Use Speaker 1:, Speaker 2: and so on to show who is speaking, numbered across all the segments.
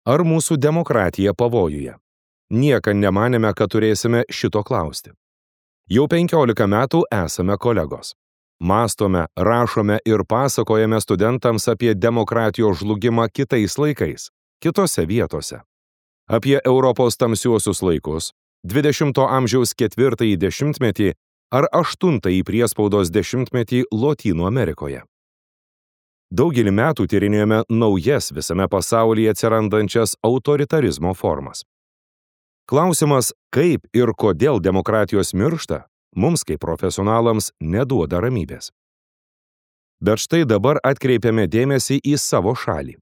Speaker 1: Ar mūsų demokratija pavojuje? Niekad nemanėme, kad turėsime šito klausti. Jau 15 metų esame kolegos. Mąstome, rašome ir pasakojame studentams apie demokratijos žlugimą kitais laikais, kitose vietose. Apie Europos tamsiuosius laikus, 20 amžiaus 4 dešimtmetį ar 8 priespaudos dešimtmetį Lotynų Amerikoje. Daugelį metų tyrinėjome naujas visame pasaulyje atsirandančias autoritarizmo formas. Klausimas, kaip ir kodėl demokratijos miršta, mums kaip profesionalams neduoda ramybės. Bet štai dabar atkreipiame dėmesį į savo šalį.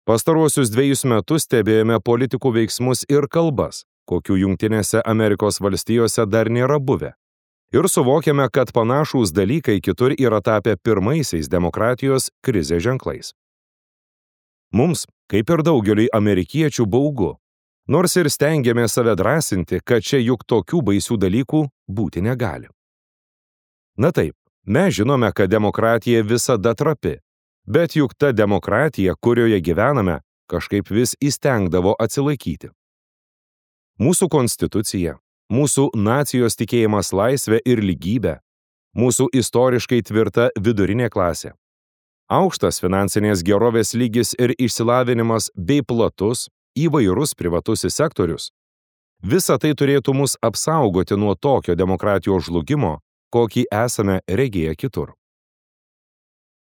Speaker 1: Pastaruosius 2 metus stebėjome politikų veiksmus ir kalbas, kokių Jungtinėse Amerikos valstijose dar nėra buvę. Ir suvokiame, kad panašūs dalykai kitur yra tapę pirmaisiais demokratijos krizės ženklais. Mums, kaip ir daugeliui amerikiečių, baugu, nors ir stengiame save drąsinti, kad čia juk tokių baisių dalykų būti negali. Na taip, mes žinome, kad demokratija visada trapi, bet juk ta demokratija, kurioje gyvename, kažkaip vis įstengdavo atsilaikyti. Mūsų konstitucija, mūsų nacijos tikėjimas laisvė ir lygybė, mūsų istoriškai tvirta vidurinė klasė, aukštas finansinės gerovės lygis ir išsilavinimas bei platus, įvairus privatusis sektorius, visa tai turėtų mus apsaugoti nuo tokio demokratijos žlugimo, kokį esame regėję kitur.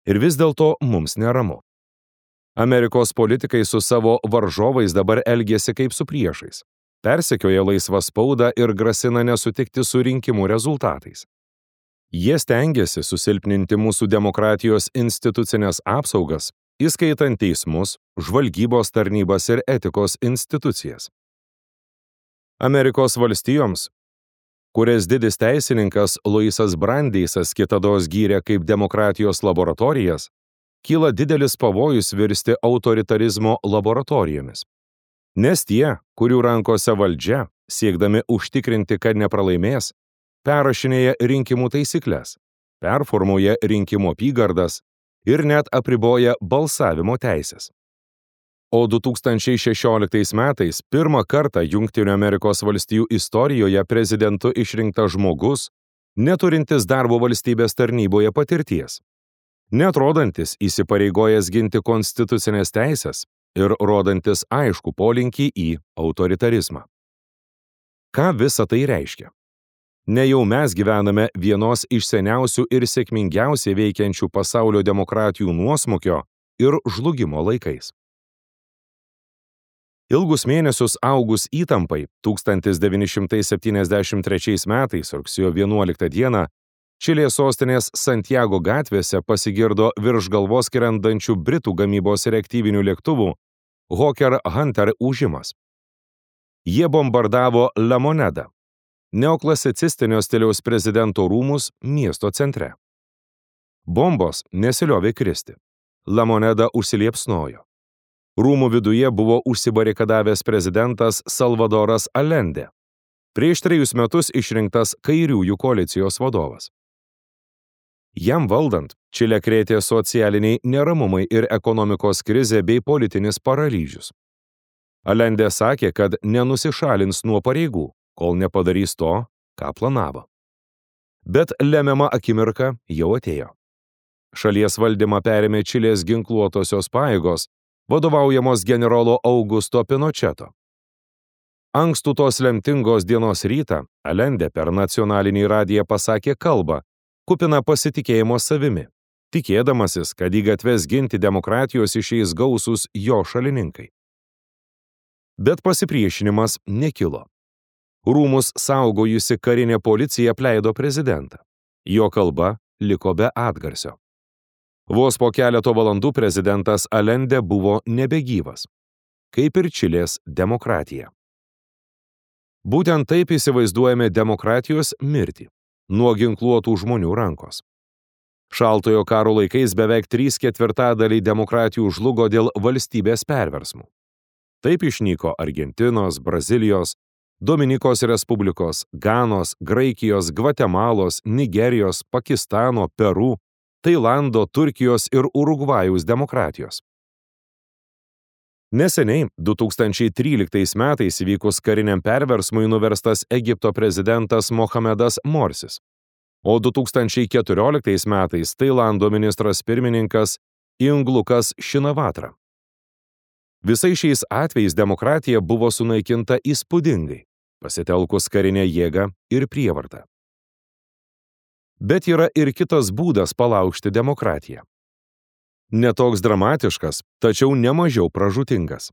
Speaker 1: Ir vis dėlto mums neramu. Amerikos politikai su savo varžovais dabar elgiasi kaip su priešais. Persekioja laisvą spaudą ir grasina nesutikti su rinkimų rezultatais. Jie stengiasi susilpninti mūsų demokratijos institucinės apsaugas, įskaitant teismus, žvalgybos tarnybas ir etikos institucijas. Amerikos valstijoms, kurias didis teisininkas Louisas Brandeisas kitados gyrė kaip demokratijos laboratorijas, kyla didelis pavojus virsti autoritarizmo laboratorijomis. Nes tie, kurių rankose valdžia, siekdami užtikrinti, kad nepralaimės, perrašinėja rinkimų taisyklės, performuoja rinkimų apygardas ir net apriboja balsavimo teisės. O 2016 metais pirmą kartą Jungtinių Amerikos valstijų istorijoje prezidentu išrinktas žmogus, neturintis darbo valstybės tarnyboje patirties, neatrodantis įsipareigojęs ginti konstitucinės teisės ir rodantis aišku polinkį į autoritarizmą. Ką visa tai reiškia? Nejau mes gyvename vienos iš seniausių ir sėkmingiausiai veikiančių pasaulio demokratijų nuosmukio ir žlugimo laikais. Ilgus mėnesius augus įtampai 1973 metais rugsėjo 11 dieną Čilės sostinės Santiago gatvėse pasigirdo virš galvos skrendančių Britų gamybos reaktyvinių lėktuvų Hawker Hunter ūžimas. Jie bombardavo La Moneda, neoklasicistinio stiliaus prezidento rūmus miesto centre. Bombos nesiliovė kristi. La Moneda užsiliepsnojo. Rūmų viduje buvo užsibarikadavęs prezidentas Salvadoras Allende, prieš 3 metus išrinktas kairiųjų koalicijos vadovas. Jam valdant, Čilę krėtė socialiniai neramumai ir ekonomikos krizė bei politinis paralyžius. Allende sakė, kad nenusišalins nuo pareigų, kol nepadarys to, ką planavo. Bet lemiama akimirka jau atėjo. Šalies valdymą perėmė Čilės ginkluotosios pajėgos, vadovaujamos generolo Augusto Pinocheto. Ankstų tos lemtingos dienos rytą Allende per nacionalinį radiją pasakė kalbą, kupina pasitikėjimo savimi, tikėdamasis, kad į gatves ginti demokratijos išeis gausūs jo šalininkai. Bet pasipriešinimas nekilo. Rūmus saugojusi karinė policija apleido prezidentą. Jo kalba liko be atgarsio. Vos po keleto valandų prezidentas Allende buvo nebegyvas, kaip ir Čilės demokratija. Būtent taip įsivaizduojame demokratijos mirtį nuo ginkluotų žmonių rankos. Šaltojo karo laikais beveik 3/4 demokratijų žlugo dėl valstybės perversmų. Taip išnyko Argentinos, Brazilijos, Dominikos Respublikos, Ganos, Graikijos, Gvatemalos, Nigerijos, Pakistano, Peru, Tailando, Turkijos ir Urugvajaus demokratijos. Neseniai 2013 metais įvykus kariniam perversmui nuverstas Egipto prezidentas Mohamedas Morsis, o 2014 metais Tailando ministras pirmininkas Inglukas Šinavatra. Visais šiais atvejais demokratija buvo sunaikinta įspūdingai, pasitelkus karinę jėgą ir prievartą. Bet yra ir kitas būdas palaužti demokratiją. Netoks dramatiškas, tačiau nemažiau pražūtingas.